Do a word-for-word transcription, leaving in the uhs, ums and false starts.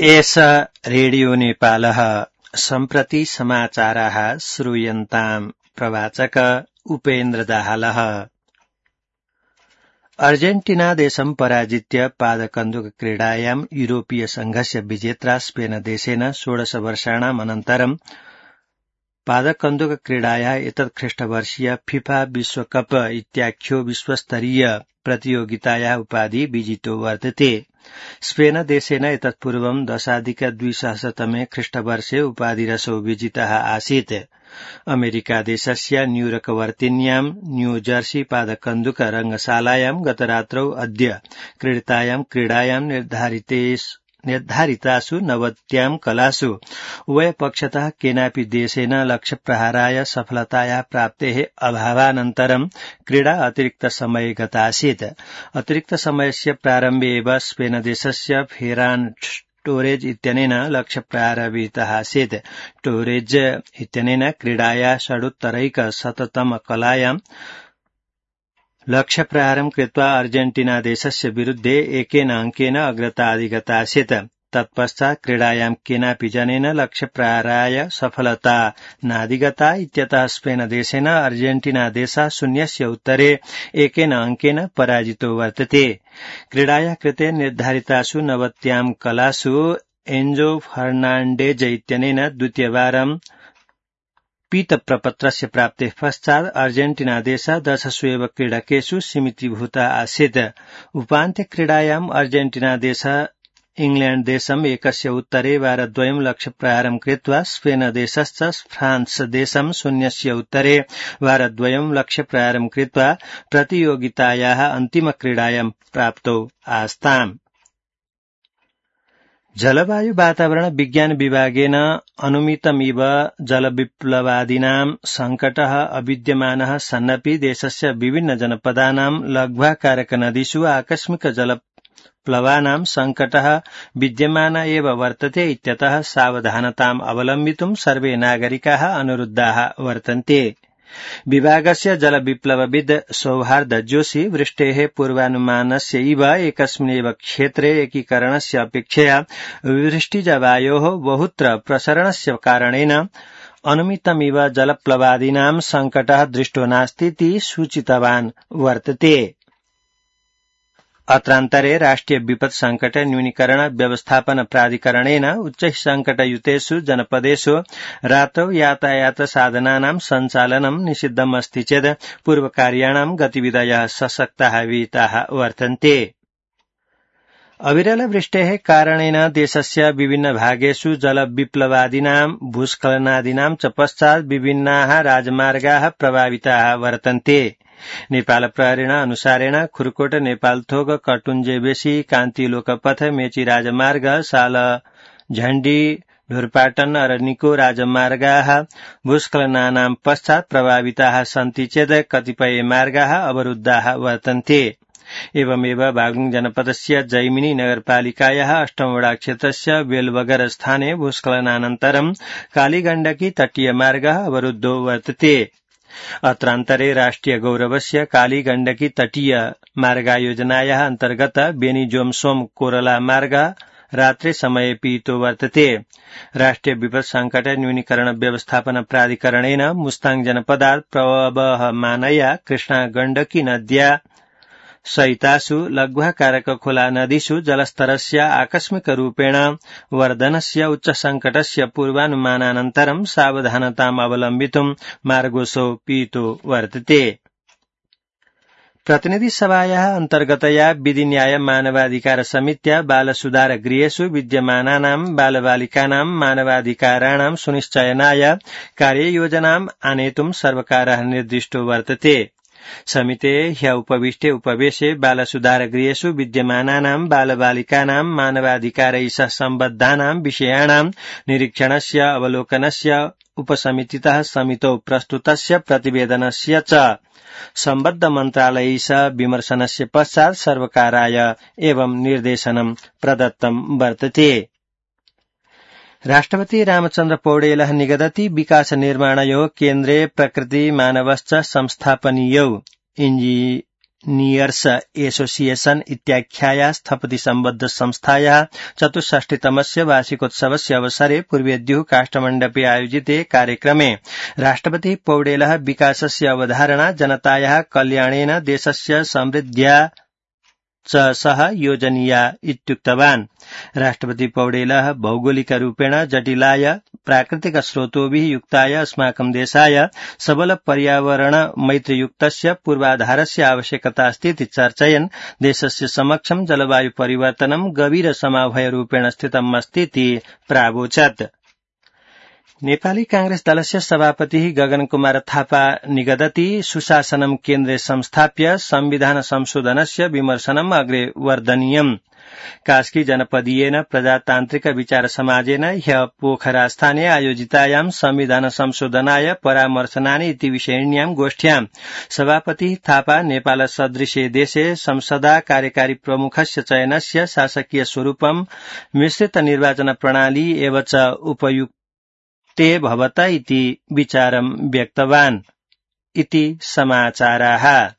एष रेडियो नेपालः सम्प्रति समाचाराः श्रूयन्ताम् प्रवाचक उपेन्द्र दाहालः। अर्जेन्टिना देशं पराजित्य पादकन्दुक क्रीडायां यूरोपीय संघस्य विजेत्रा स्पेन देशेन षोडश वर्षाणाम् अनन्तरं पादकन्दुक क्रीडाया एतत् ख्रीष्टवर्षीय फिफा विश्वकप इत्याख्यो विश्वस्तरीय प्रतियोगिताया उपाधि विजितो वर्तते। स्पेन देशेन एतत् पूर्वं दशाधिक द्विसहस्रतमे ख्रीष्टवर्षे उपाधिरसौ विजितः आसीत्। अमेरिका देशस्य न्यूयॉर्कवर्तिन्यां न्यूजर्सी पादकन्दुक रंगशालायां गतरात्रौ अद्य क्रीडितायां क्रीडायां निर्धारितासु नवत्यां कलासु उभयपक्षतः केनापि देशेन लक्ष्यप्रहाराय सफलताया प्राप्तेः अभावानन्तरं क्रीडा अतिरिक्तसमये गतासीत्। अतिरिक्तसमयस्य प्रारम्भे एव स्पेन देशस्य फेरान टोरेज इत्यनेन लक्ष्यप्रहारः विहितः आसीत्। टोरेज इत्यनेन क्रीडाया षडुत्तरैकशततम कलायां लक्ष्यप्रहारं कृत्वा अर्जेन्टिना देशस्य विरुद्धे एकेन अङ्केन अग्रता अधिगतासीत्। तत्पश्चात् क्रीडायां केनापि जनेन लक्ष्यप्रहाराय सफलता नाधिगता इत्यतः स्पेन देशेन अर्जेन्टिना देशः शून्यस्य उत्तरे एकेन अङ्केन पराजितो वर्तते। क्रीडाया कृते निर्धारितासु नवत्यां कलासु एन्जो फर्नाण्डेज इत्यनेन द्वितीयवारं पीतप्रपत्रस्य प्राप्तेः पश्चात् अर्जेन्टिना देशः दशसु एव क्रीडकेषु सीमितीभूतः आसीत्। उपान्त्यक्रीडायाम् अर्जेन्टिना देशः इंग्लैंड देशम् एकस्य उत्तरे वारद्वयं लक्ष्यप्रहारं कृत्वा स्पेन देशश्च फ्रांस देशं शून्यस्य उत्तरे वारद्वयं लक्ष्यप्रहारं कृत्वा प्रतियोगितायाः अन्तिमक्रीडायां प्राप्तौ आस्ताम्। जलवायु वातावरण विज्ञान विभागेन अनुमितमिव जलविप्लवादीनां संकटः अविद्यमानः सन्नपि देशस्य विभिन्न जनपदानां लघ्वाकारक नदीषु आकस्मिक जलप्लवानां संकटः विद्यमान एव वर्तते इत्यतः सावधानताम् अवलम्बितुं सर्वे नागरिकाः अनुरुद्धाः वर्तन्ते। विभागस्य जलविप्लवविद् सौहार्द जोशी वृष्टेः पूर्वानुमानस्य इव एकस्मिन्नेव क्षेत्रे एकीकरणस्य अपेक्षया वृष्टिजवायोः बहुत्र प्रसरणस्य कारणेन अनुमितमिव जलप्लवादीनां संकटः दृष्टो नास्तीति सूचितवान् वर्तते। अत्रान्तरे राष्ट्रिय विपत् संकट न्यूनीकरण व्यवस्थापन प्राधिकरणेन उच्च संकटयुतेषु जनपदेषु रात्रौ यातायात साधनानां सञ्चालनं निषिद्धमस्ति चेत् पूर्वकार्याणां गतिविधयः सशक्ताः विहिताः वर्तन्ते। अविरल वृष्टेः कारणेन देशस्य विभिन्न भागेषु जलविप्लवादीनां भूस्खलनादीनां च पश्चात् विभिन्नाः राजमार्गाः प्रभाविताः वर्तन्ते। नेपाल प्रहरीण अनुसारेण खुरकोट नेपालथोक कटुञ्जेबेसी कान्ति लोकपथ मेची राजमार्ग साल झण्डी ढोरपाटन अरनिको राजमार्गाः भूस्खलनानां पश्चात् प्रभाविताः सन्ति चेत् कतिपय मार्गाः अवरुद्धाः वर्तन्ते। एवमेव बागलुङ जनपदस्य जैमिनी नगरपालिकायाः अष्टमवडा क्षेत्रस्य बेलबगर स्थाने भूस्खलनानन्तरं कालीगण्डकी तटीय मार्गः अवरुद्धो वर्तते। अत्रान्तरे राष्ट्रिय गौरवस्य कालीगण्डकी तटीय मार्गायोजनायाः अन्तर्गत बेनीजोमसोम कोरला मार्ग रात्रे समये पीतो वर्तते। राष्ट्रिय विपत् संकट न्यूनीकरण व्यवस्थापन प्राधिकरणेन मुस्ताङ जनपदात् प्रवहमानया कृष्णा गण्डकी नद्या सहितासु लघ्वाकारक खोला नदीषु जलस्तरस्य आकस्मिक रूपेण वर्धनस्य उच्च संकटस्य पूर्वानुमानानन्तरं सावधानताम् अवलम्बितुं मार्गोऽसौ पीतो वर्तते। प्रतिनिधि सभायाः अन्तर्गतया विधि न्याय मानवाधिकार समित्या बालसुधार गृहेषु विद्यमानानां बालबालिकानां मानवाधिकाराणां सुनिश्चयनाय कार्ययोजनाम् आनेतुं सर्वकारः निर्दिष्टो वर्तते। समिते ह्य उपविष्टे उपवेशे बालसुधार गृहेषु विद्यमानानां बालबालिकानां मानवाधिकारैः सह सम्बद्धानां विषयाणां निरीक्षणस्य अवलोकनस्य उपसमितितः समितौ प्रस्तुतस्य प्रतिवेदनस्य च सम्बद्ध मन्त्रालयैः सह विमर्शनस्य पश्चात् सर्वकाराय एवं निर्देशनं प्रदत्तं वर्तते। राष्ट्रपति रामचन्द्र पौडेलः निगदति विकास निर्माणयोः केन्द्रे प्रकृति मानवश्च संस्थापनीयौ इंजीनियर्स एसोसिएशन इत्याख्यायाः स्थपति सम्बद्ध संस्थायाः चतुष्षष्टितमस्य वार्षिकोत्सवस्य अवसरे पूर्वेद्युः काष्ठमण्डपे आयोजिते कार्यक्रमे राष्ट्रपति पौडेलः विकासस्य अवधारणा जनतायाः कल्याणेन देशस्य समृद्ध्या च सह योजनीया इत्युक्तवान्। राष्ट्रपति पौडेलः भौगोलिकरूपेण जटिलाय प्राकृतिक स्रोतोभिः युक्ताय अस्माकं देशाय सबल पर्यावरण मैत्रियुक्तस्य पूर्वाधारस्य आवश्यकता अस्ति इति चर्चयन् देशस्य समक्षं जलवायु परिवर्तनं गभीर समाभयरूपेण स्थितम् अस्ति इति प्रावोचत्। नेपाली कांग्रेस दलस्य सभापतिः गगन कुमार थापा निगदति सुशासनं केन्द्रे संस्थाप्य संविधान संशोधनस्य विमर्शनम् अग्रे वर्धनीयम्। कास्की जनपदीयेन प्रजातान्त्रिक विचार समाजेन ह्यः पोखरास्थाने आयोजितायां संविधान संशोधनाय परामर्शनानि इति विषयिण्यां गोष्ठ्यां सभापतिः थापा नेपाल सदृशे देशे संसदा कार्यकारी प्रमुखस्य चयनस्य शासकीय स्वरूपं मिश्रित निर्वाचन प्रणाली एव च उपयुक्त ते भवत इति विचारं व्यक्तवान् इति समाचाराः।